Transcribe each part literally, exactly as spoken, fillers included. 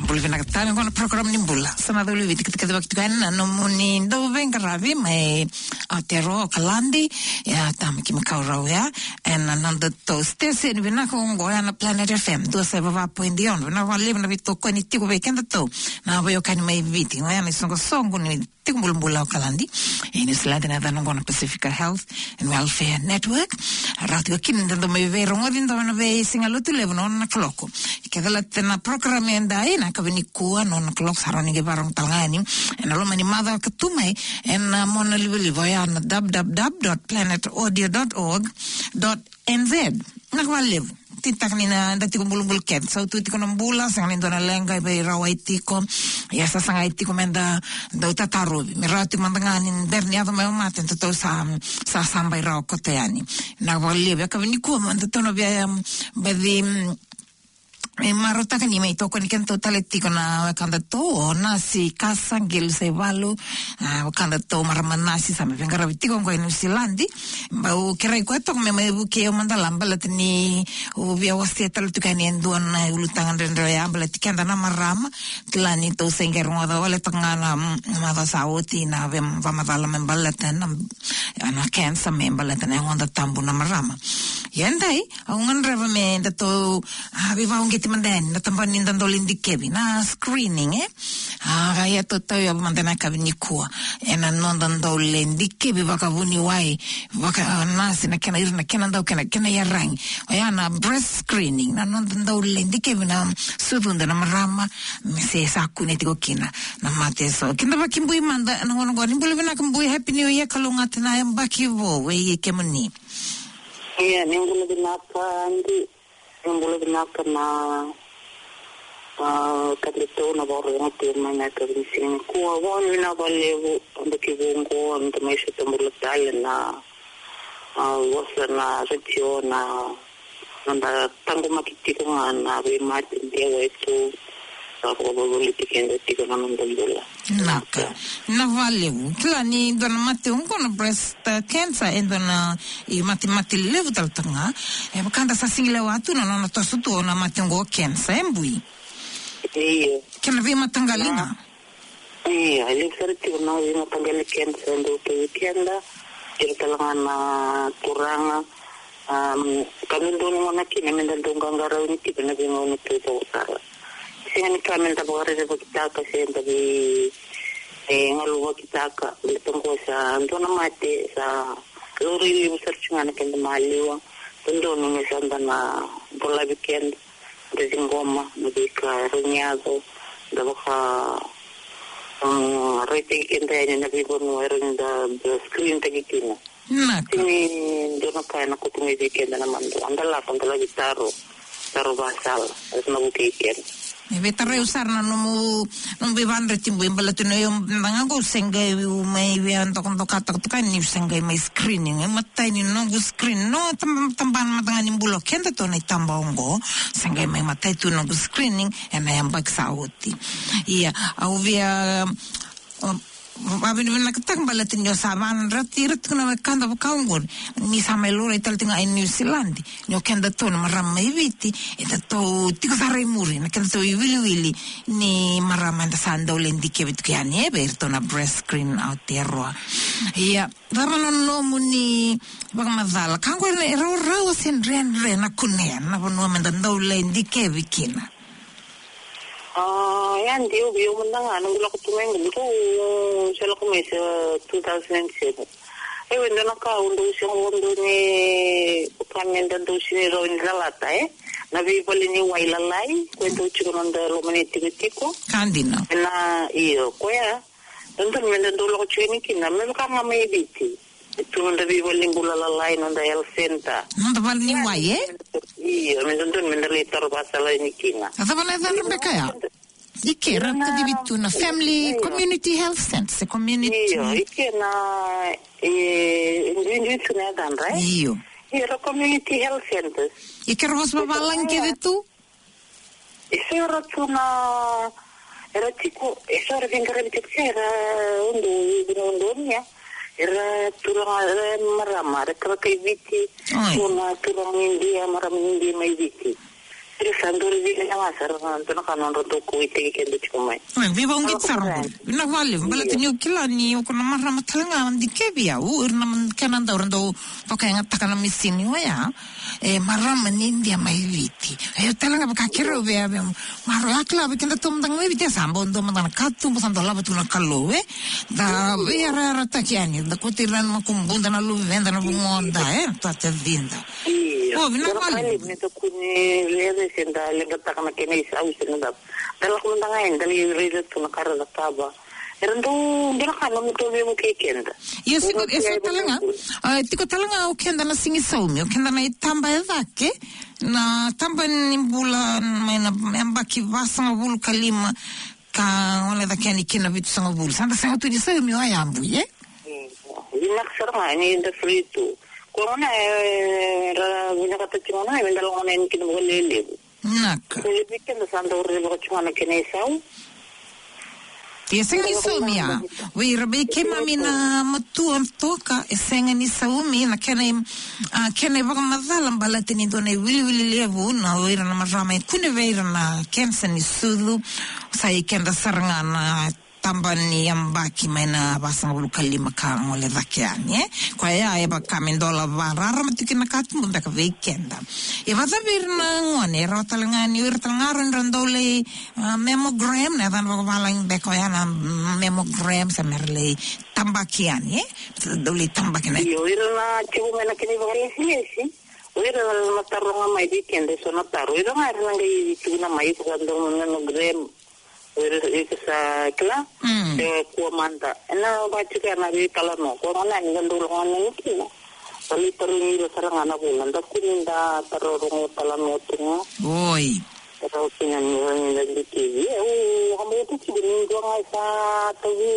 Bula vinaka tale, qo na program ni bula. Sa na cau liu viti kiti kati vakituka ena nomuni dau veiqaravi mai Aotearoa, Okaladi. Ia, tama ki makau rau ya. Ena noda tou station vinaka oqo ya na Planet F M. Dua sa vava point ono. Vinaka vakalevu na veitokoni tiko vei keda tou. Na veiwekani mai Viti. Oya na isoqosoqo ni tiko bulabula Okaladi. E Niusiladi na yacana oqo na Pacifica Health and Welfare Network. Rauti ko kina da dau mai veirogoci da na veisiga Lotulevu na ono na kaloko. Ke calata na program edai na yakavi nikua na ono na kaloko sa rawa ni qai vakarorogo tale ga yani. Ena loma ni macawa ka tu mai, ena monalivaliva oya na w w w dot planet audio dot org dot n z. Vinaka vakalevu. Titaka ni na da tiko bulabula kece. Sa tu tiko na bula, sega ni dua na leqa e veirawai tiko. Ia sa sagai tiko me da dau tatarovi. Me rawa tiko mada ga ni bera ni yaco mai o mate, da tou sa, sa sabai rawa koto yani. Vinaka vakalevu. Yakavi nikua mada tou na via, um, baci, um, e marautaka ni mai tokoni kedatou tale tiko na wekadatou o Nasi Kasa Qelu Saivalu, a, wekadatou marama nasi sa mai veiqaravi tiko oqo e Niusiladi. Bau kerei koya toka me mai vukei au mada la baleta niu via wasea tale tiko yani e dua na ulutaga dredre oya baleti keda na marama. Kila ni tou se qai rogoca wale toka ga na, mm, macawa sa oti na veivamacala me baleta na, na cancer me baleta na yagoda tabu na marama. Ia edai, au gadreva me datou, a, veivauqeti mada yani na tabana ni da dau lai dikevi, na screening, e? A, ia tou tauyavu mada na yakavi nikua ena noda dau lai dikevi vakavuniwai, vaka, a, nasi na kena ira na kena dau kena, kena iyaragi. Oya na breast screening, na noda dau lai dikevi na sucuda na marama, me se sa kune tiko kina na mate eso. Kidavaki Bui mada, na gauna oqo ni bula vinaka Bui, Happy New Year, kalougata na yabaki vou vei kemuni. Ia, ni bula vinaka, Adi. Ni bula vinaka na, a, kadatou na vakarorogo tiko mai na yakavi ni siga nikua. Vinaka vakalevu, yabaki vou oqo, da mai sota bula tale na, a, vosa na retio na, na da taqomaki tiko ga na veimate, dewa e tu, sa vakavolivoliti keda tiko na noda bula. Vinaka. Vinaka vakalevu. Kila ni dua na mate oqo na breast, uh, cancer, e dua na imatemate levu tale toka ga. E vaka da sa sega ni lewa tu na nona toso tu na mate oqo o cancer, e Bui? Io. Kena veimataqali ga? Io, e levu sara tiko na veimataqali cancer e dau tu vei keda. Ira tale ga na turaga, um, ka dodonu gona kina me da dau qaqarauni tiko ena veigauna taucoko sara. Sega ni ka me da vakarerevakitaka se da vei, e, galovakitaka, baleta oqo sa dua na mate sa laurai levu sara tiko ga na keda maliwa. Dodonu me sa da na dolavi keda, da ciqoma na veika e rawa ni yaco, da vaka, um, raitaki keda yani na veivanua e rawa ni da, da screen taki kina. Vinaka. Sega ni dua na ka ena kauta mai vei keda na madua. Da lako, da laki taro, taro vakasala, e na vukei keda. E veitarai au sara na nomu, nomu veivakadeitaki Bui, baleta ni o yau mada ga qo au se qai mai via dokadokataka toka yani niu se qai mai screening. E matai ni noqu screen, na tab-, tabana mada ga ni bula o kedatou na itaba oqo, se qai mai matai tu noqu screening ena yabaki sa oti. Ia, au via, um, vakavinavinakataka baleta ni o sa vakadreti ira tiko na wekada vaka oqo, ni sa mai laurai tale tiko ga e Niusiladi, ni o kedatou na marama mai Viti, edatou tiko sara i muri na kedatou iwiliwili ni marama eda sa dau lai dikevi tiko yani, e, vei iratou na breast screen Aotearoa. Ia, cava na nomuni vakamacala? Ka qo e rawarawa se dredre na kunea na vanua me da dau lai dikevi kina? A, ia, dei au, au mada ga, noqu lako tu mai qo, au se lako mai se two thousand and seven. E, au e dua na ka au dau se qo dau ni, ka me da dau se ni rawa ni lalata, e? Na veivale ni wai lalai, ko e dau tiko na noda loma ni tikotiko. Ka dina. Na, io, koya. Dodonu me da dau lako tiko yani kina, me vaka ga mai Viti. E tu noda veivale ni bula lalai, noda health center. Noda vale ni wai, e? Io, me dodonu me da lai taro vakasala yani kina. A cava na yacadra beka ya? I ke ra kacivi tu na family, community health center, se community. Io, i ke na, e, duidui tu na yacadra, e? Io. Io, ra community health centers. I ke ra vosa vavalagi kece tu? E so era tu na, era tiko, e so era veiqaravi tiko, era udu, udu, udu, ia. Era turaga, era marama, era turaga kai Viti, oi, so na turaga Idia, marama Idia mai Viti. Kila sa duri vile na ga sara na dua na ka nodra dau kauaitaki keda tiko mai. Oi, veivauqeti sara qori. Vinaka vakalevu, baleta niu kila ni o koya na marama tale ga dikevi au, ira na kena dau ra dau vakayagataka na misini oya. E marama ni Idia mai Viti. E tale ga vaka keirau vei, vei marama, a kila vei keda tu mada ga mai Viti, sa bau dua mada na katuba, sa dolava tu na Kalou, e. Da veiyarayarataki yani, da kauti ira na makubuda, na luveda, na vugoda, e, na tacida. Io. O, vinaka vakalevu. Ni da kune lere se da leqataka na kena isau se na cava. Da lako mada ga yani, da lai raica tu na ka ra cakava. Era dau, dua na ka nomu tau veivuke keda. Io, e so tale ga. A, tiko tale ga o keda na Siga ni Saumi, o keda na itaba e cake, na taba ni bula mai na yabaki vasagavulu ka lima ka gole cake yani ki na vitusagavulu. Sa da sega tu ni saumi o yavu, e? Mm. Vinaka sara ga ni da free tu. Ko gona, e, ra vinakata tiko gona, e, da lako gona yani ki na vakalelevu. Naka. Ko levu vei keda sa dau raica vaka tiko gona kena isau. E sega ni saumi ya. Vei ira vei keimami na matua toka, e sega ni saumi na kena i-, a, kena ivakamacala baleta ni dua na iwiliwili levu na o ira na marama e kune vei ira na kenisa ni sucu. Sa i keda sara ga na taba ni yabaki mai na vasagavulu ka lima ka gole cake yani, e. Koya e vaka me dolava rarama tiko na katuba beka vei keda. E vakacavi ira na gone, e rawa tale ga ni o ira tale ga ra dau lai, a, mammogram, na yacana vakavalagi beka oya na mammogram, sa me ra lai tabaki yani, e. Dau lai tabaki na. Io, ira na tiko mai na kena ivakalesilesi. O ira na taroga mai vei keda e so na taro. Ira ga era na qai tukuna mai iko sa dau mammogram. O ira, iko sa kila. Mm. Se kua mada. Ena vaka tiko ya na veitalanoa. Ko gona ni da dau lako gona ni kina. Sa lai tarogi ira sara ga na vula. Da kua ni da taroga talanoa tu ga. Oi. Taroga kina ni da dikevi. E, au vakabauta tiko ni dua ga sa tauvi.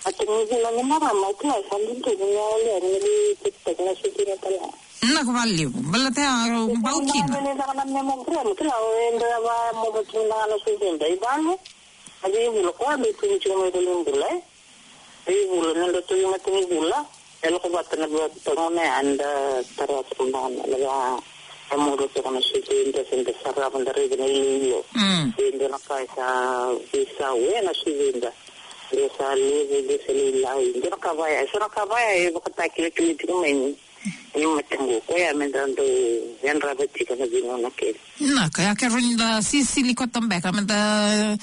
A tauvi vula ni marama, au kila sa dudunu ni au lewa ni lai check-taki na sutuna tale. Vinaka vakalevu, baleta ya, au bau kina. Eda na mammogram, kila, eda va momo tu na na suveda i vale. A veivula, ko a dei tu ni tiko mai valenibula, e. Veivula, ni da tu i matanivula, e lako vata na vata gona ya, eda tara tu na na va, e momo tu na suveda, se da sarava, da raica na iloilo. Mm. Eda na ka sa veisau, e na suveda. Dua sa levu, dua sa lailai. Dua na ka vaya, e so na ka vaya e vakatakilakila tiko mai ni, ni mataqu. Koya me da dau yadrava tiko na veigauna kece. Na ka ya, ke rawa ni da sisili koto beka, me da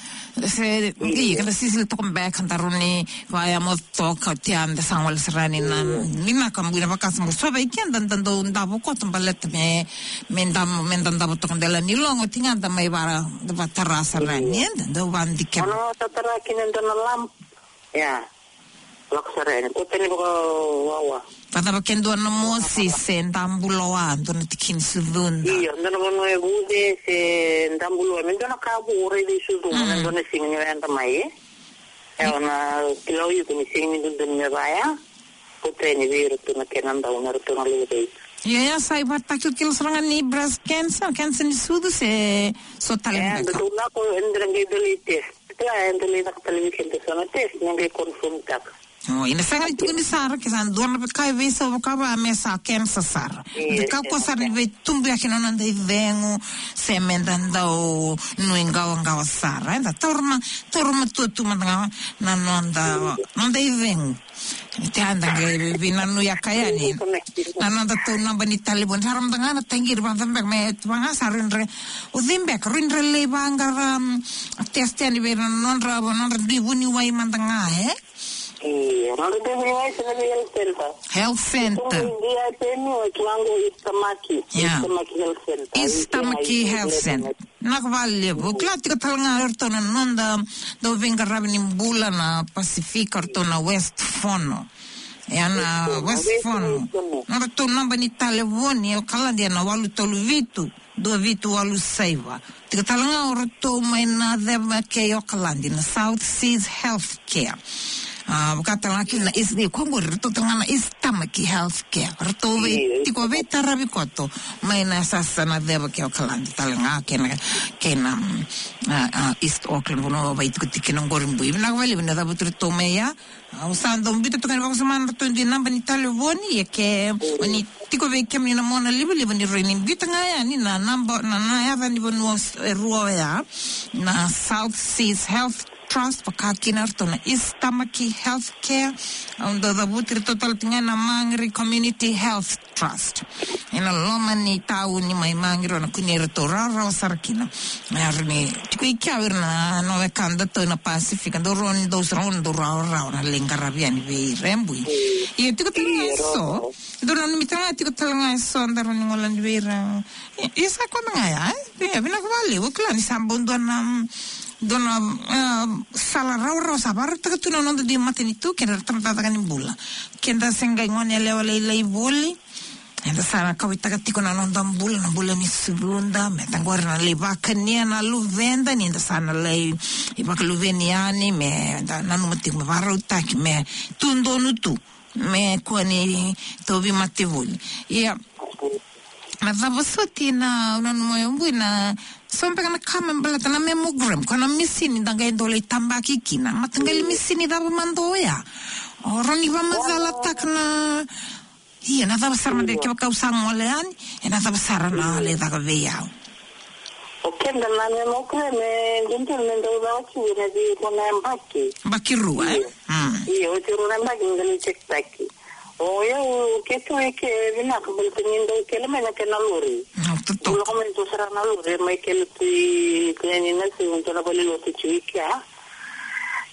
se, mm, io, ke da sisili toka beka, da rawa ni vaya mo toka, tia da sa gole sara yani na, mm, ni na ka bui na vakasa mo so vei keda da dau davo koto baleta me, me da, me da davo toka dela ni logo, tiga da mai vara, da vatara sara yani, mm, e, da dau vadikeva. Ono tatara kina dua na lamp. Ia. Lako sara yani. Ko tani vakawawa. Vacava ke dua na mosi se dabuloa, dua na tikini sucuda. Io, dua na vanua e vuce se dabuloa. Me dua na ka vu o raici sucu, mm, me dua na siga ni o yadra mai, e. E, o na kila o iko ni sega ni dodonu me vaya. Ko tani vei iratou na kena dau, na iratou na levu raici. Ia, ia, sa ivakatakilakila sara ga ni breast cancer, cancer ni sucu se so tale beka. E, dodonu lako, e dodonu qai dua lai test. Kila, e dodonu lai caka tale vei keda so na test, me qai confirm taka. O, ena sega ni tukuni sara, ke sa dua na veika e veisau vakava, me sa cancer sara. Io, me kakua sara ni veitubuya kina na noda icegu, se me da dau nuiqawaqawa sara. Eda taura ma, taura matua tu mada ga na noda, noda icegu. Te a da qai veinanuyaka yani na noda tou naba ni talevoni. Sa ra mada ga na taqiri vata beka me tu ga sa rui dra. O cei beka rui dra lai vaqara, mm, test yani vei ira na nodra, nodra dui vuniwai mada ga, e? Io, nodra dui vuniwai se na vei health center. Health center. Ia, East Tamaki. East Tamaki Health Center. Vinaka vakalevu. Kila tiko tale ga o iratou na noda dau veiqaravi ni bula na Pasifika, o iratou na West Fono. Ia na West Fono. Nodratou naba ni talevoni, o Kaladi, na walu tolu vitu, dua vitu walu saiva. Tiko tale ga o iratou mai na ceva kei Okaladi, na South Seas Healthcare. A, vaka tale ga kina na East, ni ko qori ratou tale ga na East Tamaki Health Care. Ratou vei, tiko veitaravi koto mai na sasa na ceva ke o Kaladi tale ga kei na, kei na, mm, a, a, East Auckland, vanua vei tiko tiko kina qori bui. Vinaka vakalevu na cavuti ratou mai ya. Au sa dau biuta toka ni vakasama na ratou dui naba ni talevoni, ia ke o ni tiko vei kemuni na mona livaliva ni rawa ni biuta ga yani na naba, na, na yaca ni vanua e rua oya, na South Seas Health Trust, vaka kina ratou na East Tamaki Health Care. Au dau cavuti ratou tale tiko ga na Mangere Community Health Trust. Ena loma ni tauni mai Mangere, o na kunei iratou rawarawa sara kina. Era ni tiko i kea o ira na, na wekadatou na Pasifika, dau rawa ni dau sara, dau rawarawa na lai qaravi yani vei ira e bui. Ia tiko tale ga eso, dau nanumi tale ga, tiko tale ga eso, dau rawa ni gole yani vei ira. Ia, ia sa koya ga ya, e? Ia, vinaka vakalevu, kila ni sa bau dua na, dua na, e, sala rawarawa sa vakarautaka tu na noda dui matanitu, keda ra tabacakacaka ni bula. Keda se qai gone yalewa lailai voli, eda sa na kauwaitaka tiko na noda bula, na bula ni suruda, me da qori na lai vakania na luveda, ni da sa na lai vakaluveni yani, me da nanuma tiko me vakarautaki, me tu donu tu, me kua ni tauvi mate voli. Ia, na cava soti na, na, na, na, na, so beka na ka me baleta na mammogram, ko na misini da qai dau lai tabaki kina. Mataqali misini cava mada oya? O rawa ni vakamacalataka na Ia, na cava sara mada kevaka au sa gole yani, e na cava sara na lai caka vei au? O keda na mammogram e dodonu me dau caka tiko ena veirua na yabaki. Yabaki rua, e? Io. Mm. Io, oti rua na yabaki me da lai cekitaki. O yau keitou e ke vinaka baleta ni dau kele mai na kena lori. Mm, totoka. Dau lako mai dua sara na lori, mai kele tu i, tu yani na siga, tu na valenilotu tu i kea.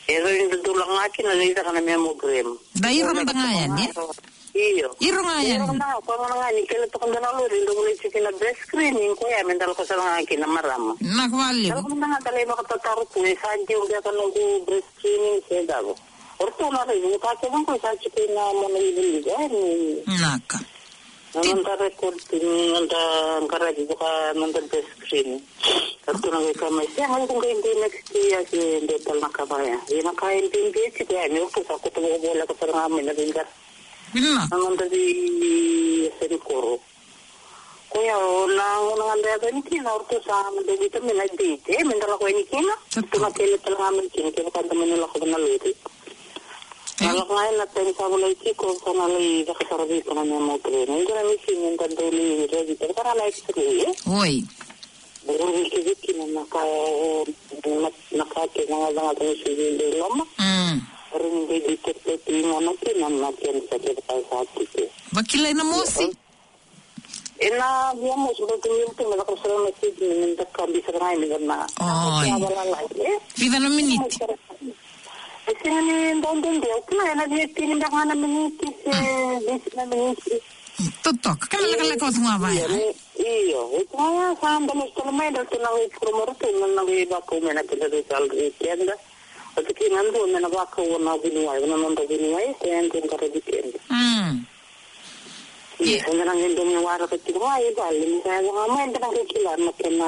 E rawa ni dau lako ga kina lai caka na mammogram. Da iro mada ga yani, e? Io. Iro ga yani. Iro ga, koya gona ga ni kele toka dua na lori, dau volai tiko kina breast screening, koya me da lako sara ga kina marama. Vinaka vakalevu. Da lako mada ga da lai vakatataro tu, e sa deu beka noqu breast screening se cava. O ratou na raici, ni ka kece qo sa tiko ina mona livaliva, e, ni. Vinaka. Na noda record, ni noda qaravi vaka noda breast screening. O ratou na qai kaya mai, sega, iko qai dei next year se dua tale na ka vaya. Ia na ka e bibi tiko yani, o ratou sa koto vakavoleka sara ga mai na veiqaravi. Vinaka. Na noda veiyasani koro. Koya o na gauna ga da yaco yani kina, o ratou sa mada biuta mai na date, e, me da lako yani kina. Totoka. Ratou na kele tale ga mai kina, kevaka da mani lako na lori. E? Na lako ga ena taimi sa volai tiko, sa na lai caka sara vei iko na mammogram. Qo na misini da dau lai raici, kevaka na x-ray, e? Oi. Rawa ni kece kina na ka, na, na ka kece na gacagaca ni sui vei loma. Mm. Rawa ni qai detect tu i gona kina na cancer kevaka sa tiko. Vakilai na mosi? Ena via mosi, baleta ni ratou na caka sara na treatment, me da kabi sara ga yani na. Oi. Vica na miniti? E sega ni dau dede, au kila ena via tini beka ga na miniti se vitu na miniti. Totoka, kena lekaleka oti ga vaya. Io, e tu ga ya sa da lesu tale mai, da tu na qai promote tu, na qai vakau mai na keda result vei keda. Oti kina dua me na vakau na vuniwai, na noda vuniwai, koya e dua qaravi keda. Mm. Ia, eda na qai dau mai waraka tiko ga i vale, ni sa yaco ga mai eda na qai kila na kena,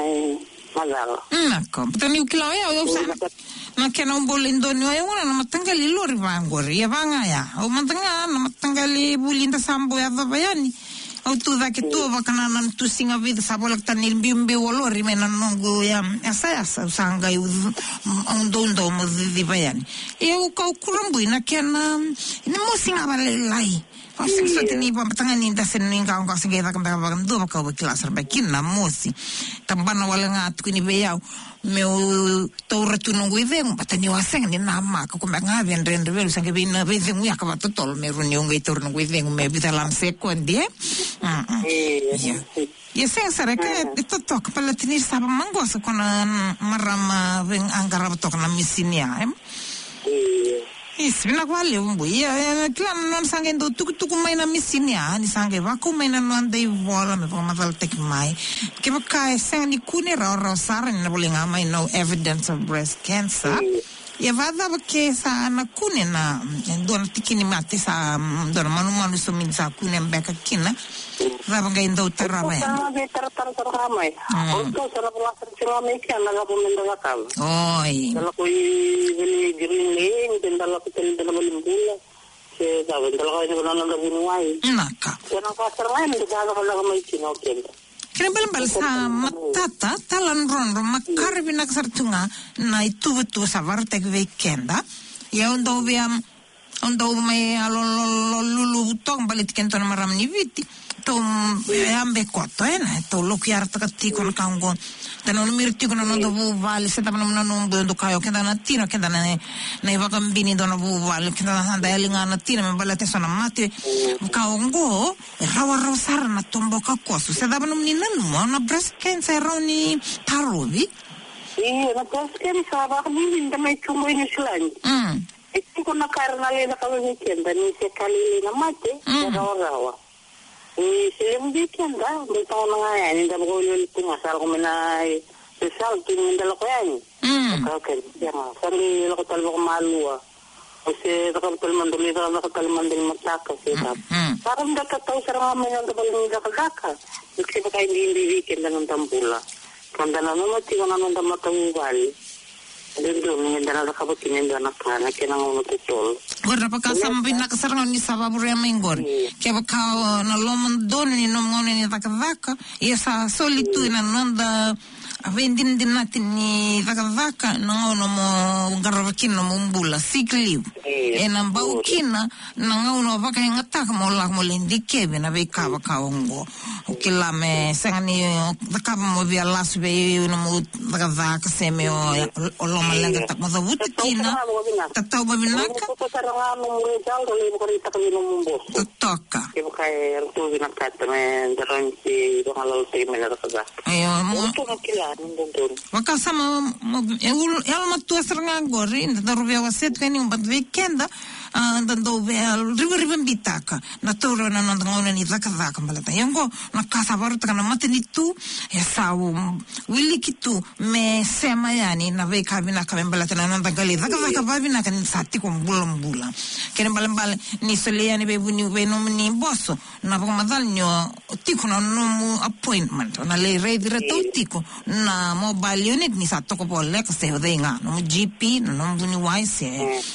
e, macala. Mm, na ka. Baleta niu kila o yau, au sa na kena uboli doni o yau, na mataqali lori vaqori. Ia vaga ya. Au mada ga na mataqali vuli da sa bau yacova yani. Au tu cake tu, vaka na, na tu siga vica sa voleka tani biubiu o lori mai na noqu ya, yasayasa, au sa qai u-, au doudou meu ciciva yani. Ia au kau kurabui na kena, ni mosi ga vakalailai. Au sega soti ni vakamataqali ni da se ni qaqo se qai caka beka vakadua, vaka au vakila sara beka kina na mosi. Tabana wale ga tukuni vei au meu taura tu noqu icegu, baleta niu a sega ni namaka, ko me ga vei dredre vei au, sa qai vei na veicegu yaka vakatotolo me rawa niu qai taura noqu icegu me vica la na sekodi, e? Mm, mm. Ia. Ia sega sara, e ka e totoka, baleta ni sa vakamaqosa ko na marama vei a qarava toka na misini ya, e? Io. Isi, vinaka vakalevu bui. Ia, e, kila na nona sa qai dau tukutuku mai na misini ya, ni sa qai vakau mai na noda ivola me vakamacalataki mai. Kevaka e sega ni kune rawarawa sara, ni na volai ga mai no evidence of breast cancer. Io. Ia vakacava ke sa na kune na, mm, dua na tiki ni mate sa, mm, dua na manumanu sa mini sa kune beka kina. Cava qai dau tarava yani? Sa na veitaratara sara ga mai. Mm. O ratou sa na vola sara tiko ga mai kea na cava me da cakava. Oi. Da lako i vale Green Lane, da lako tale i na valenibula. Se cava, da lako yani vana na noda vuniwai. Naka. Se na ka sara ga yani da cakacaka mai kina o keda. Kena ibalebale sa matata, taladrodro, makare vinaka sara tu ga na ituvatuva sa vakarautaki vei keda. Ia au dau via, au dau mai yalo lululu toka baleti kedatou na marama ni Viti. Tou, mm, yabe koto, ena, tou loku yarataka tiko na ka oqo. Da nanumi ira tiko na noda vuvale, se cava na nomu nanuma, dou kaya o keda na tina, o keda na, na ivakabini dou na vuvale, o keda na sa da yali ga na tina me baleta eso na mate ka oqo. E rawarawa sara na toboka koso. Se cava nomuni nanuma, na breast cancer e rawa ni tarovi? Io, na breast cancer, vakabibi da mai tu qo i New Zealand. Mm. E tiko na ka era na lai cakava vei keda, ni se ka lailai na mate, mm, e rawarawa. Ni se levu vei keda, da tauna ga yani, da vakawelewele tu ga, sa lako mai na, e, result, ni da lako yani. Mm. Ka, ka, ya, sa qai lako tale vakamalua. O se cakava tale mada, lai cakacaka tale mada ni mataka, se cava. Mm, mm. Sa ra da tatau sara ga mai na noda vale ni cakacaka. Ni kevaka e bibi vei keda na noda bula. Ka da nanuma tiko na noda matavuvale. Dodonu me da na cakava kina e dua na ka, na kena gauna totolo. Qori na vakasama vinaka sara ga ni sa vakavurea mai qori. Mm. Kevaka o na loma donu ni nomu gauna ni cakacaka, ia sa soli tu ena noda a veidinadinati ni cakacaka na gauna mo qarava kina na nomu bula, sick leave. Io. Ena bau kina na gauna o vakayagataka mo lako mo lai dikevi na veika vaka oqo. O kila me sega ni o cakava mo via lasu vei nomu cakacaka se me o, o lomaleqataka mo cavuta kina. Tatau vakavinaka. Tatau vakavinaka. Totoka. Kevaka e ratou vinakata me da rawa ni se vagalalataki mai na cakacaka. Io, mo. Ratou na kila ni dodonu. Vakasama, mo, e ul-, e yalomatua sara ga qori, da dau via wasea tu yani, but vei keda, a, da dau via rivarivabitaka na taura na noda gauna ni cakacaka baleta. Ia oqo, na ka sa vakarautaka na matanitu, e sa, um, wiliki tu me sema yani na veika vinaka me baleta na noda qai lai cakacaka vakavinaka ni sa tiko bulabula. Kena ibalebale, ni solia yani vei vuni, vei nomuni boso, na vakamacala ni o tiko na nomu appointment. O na lai raici iratou tiko na mobile unit ni sa toka voleka se o cei ga. Nomu G P, na nomu vuniwai se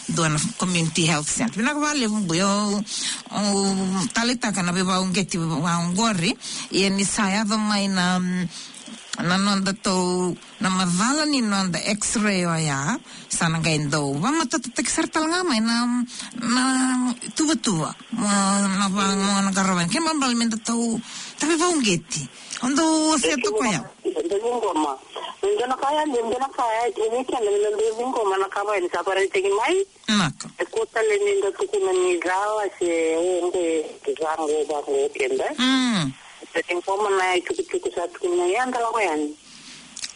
dua na community health center. Vinaka vakalevu Bui, au, au taleitaka na veivakauqeti vakaoqori. Ia ni sa yaco mai na, mm, na noda tou na macala ni noda X-ray oya, sa na qai dau vakamatatataki sara tale ga mai na, na tuvatuva, mo, na va, mo na qaravi. Kena ibalebale me da tou, tou veivakauqeti. O dau wasea toka ya. Dau ciqoma. Me dua na ka ya, me dua na ka ya, e vei keda me da dau ciqoma na ka vaka ni sa vakaraitaki mai. Naka. E kua tale ni da tukuna ni cala se o qo e vaqo, vaqo keda. Mm. Da ciqoma na itukutuku sa tukuna ya, da lako yani.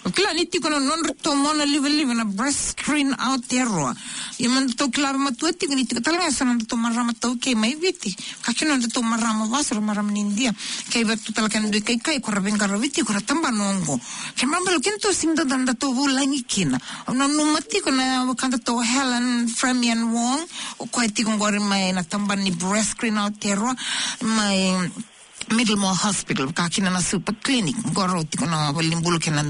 O kila ni tiko na nodratou mona livaliva na Breast Screen Aotearoa. Ia me datou kila vei matua tiko ni tiko tale ga eso na nodratou marama taukei mai Viti. Ka kina nodratou marama vasu, ra marama ni Idia. Kei vei ratou tale kena dui kaikai ko ra veiqaravi tiko na tabana oqo. Kena ibalebale kedatou sega ni dau, datou vulagi kina. Au nanuma tiko na wekadatou Helen Fremian Wong, o koya tiko qori mai na tabana ni Breast Screen Aotearoa, mai Middlemore Hospital, vaka kina na Super Clinic. Qori tiko na valenibula kei na,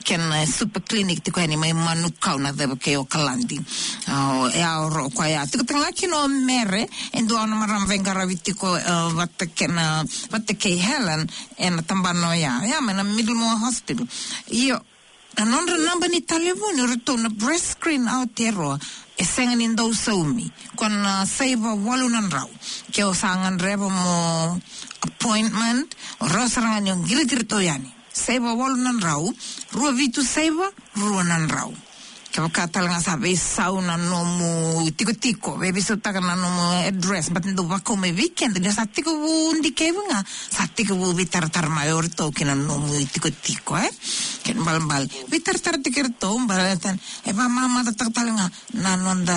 kei na Super Clinic tiko yani mai Manukau na ceva kei Okaladi. O, e a oro o koya. Tiko tale ga kina o Mere, e dua na marama veiqaravi tiko, e, vata kei na, vata kei Helen, ena tabana oya. Ia, mai na Middlemore Hospital. Io, na nodra naba ni talevoni o iratou na Breast Screen Aotearoa, e sega ni dau saumi. Ko na saiva walu na drau. Ke o sa gadreva mo appointment, o rawa sara ga ni o qiriti iratou yani. Saiva walu na drau, rua vitu saiva, rua na drau. Kevaka tale ga sa veisau na nomu itikotiko, vei, veisautaka na nomu address, baleta ni dau vakau mai vei keda, ni sa tekivu dikevi ga, sa tekivu veitaratara mai o iratou kei na nomu itikotiko, e? Kena ibalebale veitaratara tiko o iratou, baleta e vakamamacataka tale ga na noda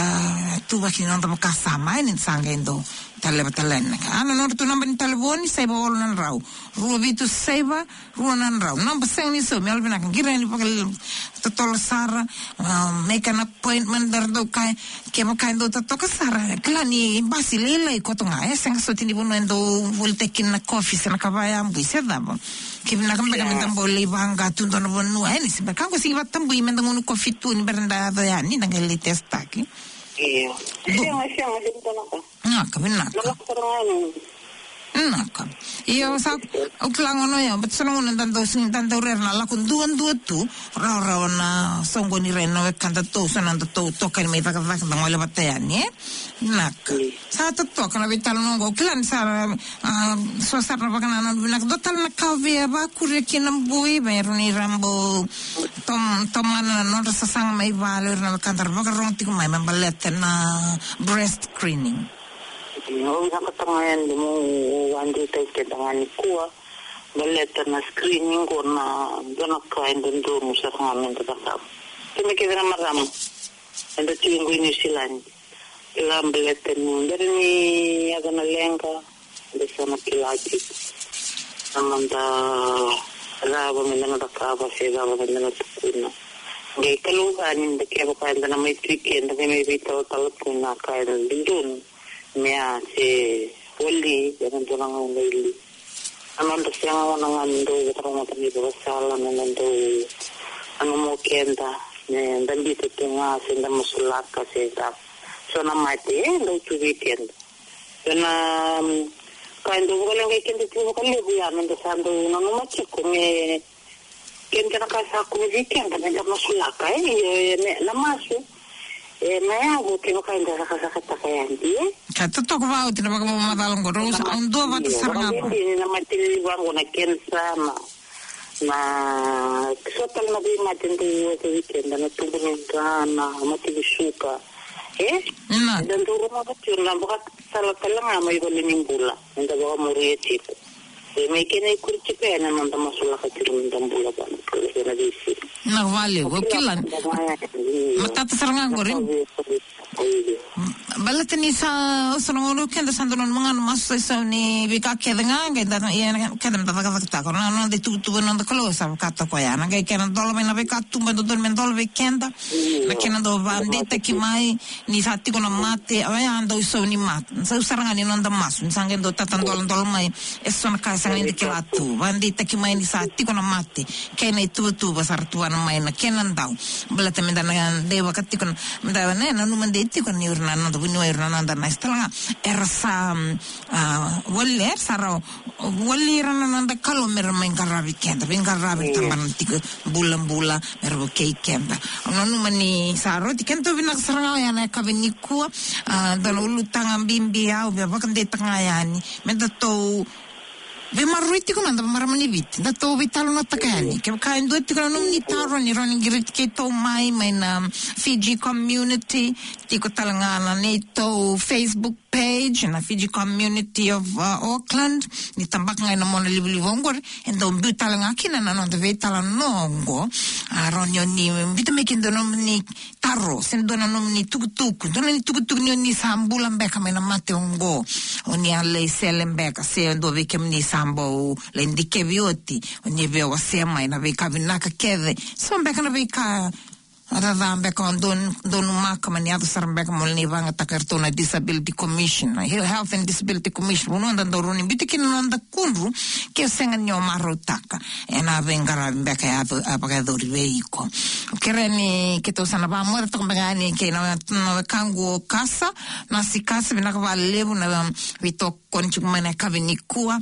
ituvaki ni noda vakasama, e, ni sa qai dau Taleva tale yani na ka. A, na nodratou naba ni talevoni, saiva walu na drau, rua vitu saiva, rua na drau. Naba sega ni saumi, yalovinaka, qiri yani vakatotolo sara, ah, make an appointment, da ra dau kaya, kevaka e dau totoka sara, kila ni basi lailai koto ga, e sega soti ni vanua e dau volitaki kina na kofi se na ka vaya bui se cava. Ke vinaka beka me da bau lai vaqa tu dua na vanua, e ni se beka qo sigi vakatabui me da gunu kofi tu ni bera da yaco yani, da qai lai testaki. Io. Sega, sega, sega, sega. Vinaka, vinaka. Vinaka. Io, sa, au kila gona ya, but sa na gona da dau sini, da dau rere na lako duadua tu, rawarawa na soqoni ira na wekadatou, sa na datou toka mai cakacaka da gole vata yani, e? Vinaka. Sa totoka na veitalanoa qo, au kila ni sa, ah, so sara na vakanananu vinaka, dua tale na ka au via vakuria kina bui, vei ira ni ra bau tom-, tomana na nodra sasaga mai vale, ira na wekada ra vakarorogo tiko mai me baleta na breast screening. Au vinakata ga yani meu vakadeitaki keda ga nikua baleta na screening qo, na dua na ka e dodonu sara ga me da cakava. Keda kece na marama eda tiko qo i New Zealand, kila baleta ni bera ni yaco na leqa, da sa na kila tiko na noda cava me da na cakava se cava me da na tukuna. Qai kalougata ni da, kevaka eda na mai tu i ke, da qai mai veitalatala tu na ka e dodonu me a se wali ena dua na gauna i liu. Na noda sega gona ga ni dau vakarogoca na ivakasala, na noda dau nanuma o keda me da biuta tu ga se da masulaka se da so na mate e dau tu vei keda. Io na, mm, ka e dau vakaleqai keda tiko vakalevu ya, me da sa dau nanuma tiko me keda na ka sa kune vei keda me da masulaka, e, io, e, me, na masu e na yavu kevaka eda cakacakataka yani, e. Ka totoka vakaoti na vakamamacala qo, rau sa, au dua vata sara ga. Io, vakabibi ni na mate liliva qo, na kenisa, na, na so tale na veimate dau oti vei keda, na tubu ni dra, na mate ni suka, e? Na. Eda dau rogoca tiko na vakasala tale ga mai valenibula, eda vakamuria tiko. E mai kena ikuri tiko yani na noda masulaka tiko me da bula vata kei na veisiga. Na vale, o kila. Matata sara ga qori. Baleta ni sa, o sa na gauna keda sa dau nanuma ga na masu sa isau ni veika kece ga, qai da, ia, keda me da cakacakataka. Na noda ituvatuva na noda Kalou sa vakataka koya. Na qai kena dola mai na veika tuba e dodonu me dola vei keda. Na kena dau vakadeitaki mai ni sa tiko na mate, oya dau isau ni mate. Sa isau sara ga ni noda masu, ni sa qai dau tata doladola mai eso na ka e sega ni da kila tu. Vakadeitaki mai ni sa tiko na mate, kei na ituvatuva sa ra tuvana mai na kena dau. Baleta me da na dei vaka tiko na, me da na nanuma dei tiko ni ira na noda vuniwai, ira na noda nasi tale ga, era sa, mm, ah, wali, era sa ra wali ira na noda Kalou me ra mai qaravi keda, veiqaravi, tabana tiko bulabula, me ra vukei keda. Au nanuma ni sa rauti keda, tou vinaka sara ga oya na yakavi nikua, ah, dua na ulutaga bibi au via vakadeitaka ga yani. Me datou veimaroroi tiko mada, marama ni Viti, datou veitalanoataka yani. Kevaka e dua tiko na nomuni taro, ni rawa ni qiriti keitou mai, mai na Fiji Community, tiko tale ga na neitou Facebook page, na Fiji Community of, uh, Auckland, ni tabaka ga ena monalivaliva oqori, e dau biu tale ga kina na noda veitalanoa oqo. A, rawa ni o ni biuta mai kina dua na nomuni taro, se dua na nomuni tukutuku, dua na nomuni tukutuku ni o ni sa bula beka mai na mate oqo, o ni a lai sele beka, se dua vei kemuni sa bau lai dikevi oti, o ni via wasea mai na veika vinaka kece, so beka na veika a, ca beka o don-, donumaka, mani yaco sara beka mo lai vakayagataka eratou na Disability Commission, na He-, Health and Disability Commission. Vanua da dau rawa ni biuta kina na noda kudru, ke o sega ni o marautaka ena veiqaravi beka e yaco, a vakayacori vei iko. Au kerea ni keitou sa na vakamocataka beka yani kei na, na wekaqu o Kasa, Nasi Kasa, vinaka vakalevu na, um, veitokoni tiko mai na yakavi nikua.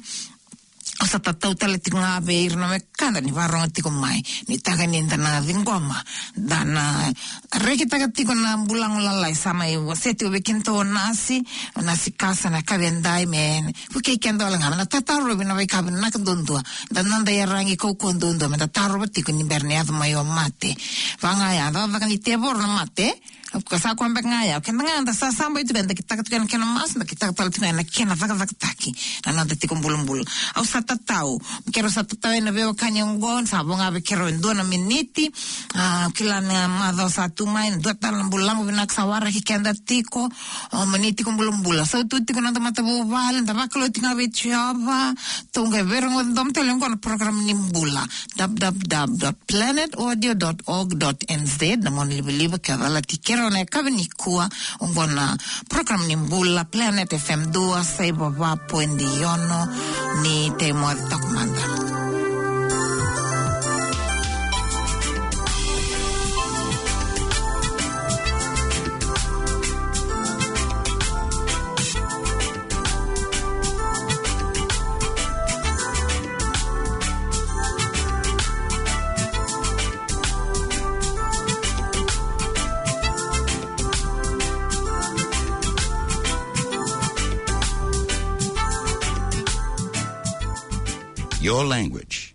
Au sa tatau tale tiko ga vei ira na wekada ni vakarogo tiko mai, ni taka ni da na ciqoma, da na rekitaka tiko na bulago lalai sa mai wasea tiko vei kedatou o Nasi, o Nasi Kasa na yakavi edai, me vukei keda wale ga, me na tatarovi na veika vinaka duadua, da noda iyaragi kaukauwa duadua me da tarova tiko ni bera ni yaco mai o mate. Vaka ga ya, cakacaka ni tevoro na mate, Of course, sa koya beka ga ya. Keda ga da sa saba tu, da kitaka tu kena, kena masu, da kitaka tale tu na kena cakacakataki na noda tiko bulabula. Au sa tatau. Keirau sa tatau ena veiwekani oqo, sa vo ga vei keirau e dua na miniti. A, kila na macawa sa tu mai, dua tale na bula vinaka sa waraki keda tiko. O, moni tiko bulabula. Sa tu tiko na noda matavuvale, da vakalou tiko ga vei Jiova. Tou qai veirogoci domo tale oqo na program ni bula. W W W dot planet audio dot org dot N Z, na monalivaliva ke calati keirau ena yakavi nikua, oqo na program ni bula, Planet F M dua saiva va poidi ono, ni tei moce toka mada. Your language.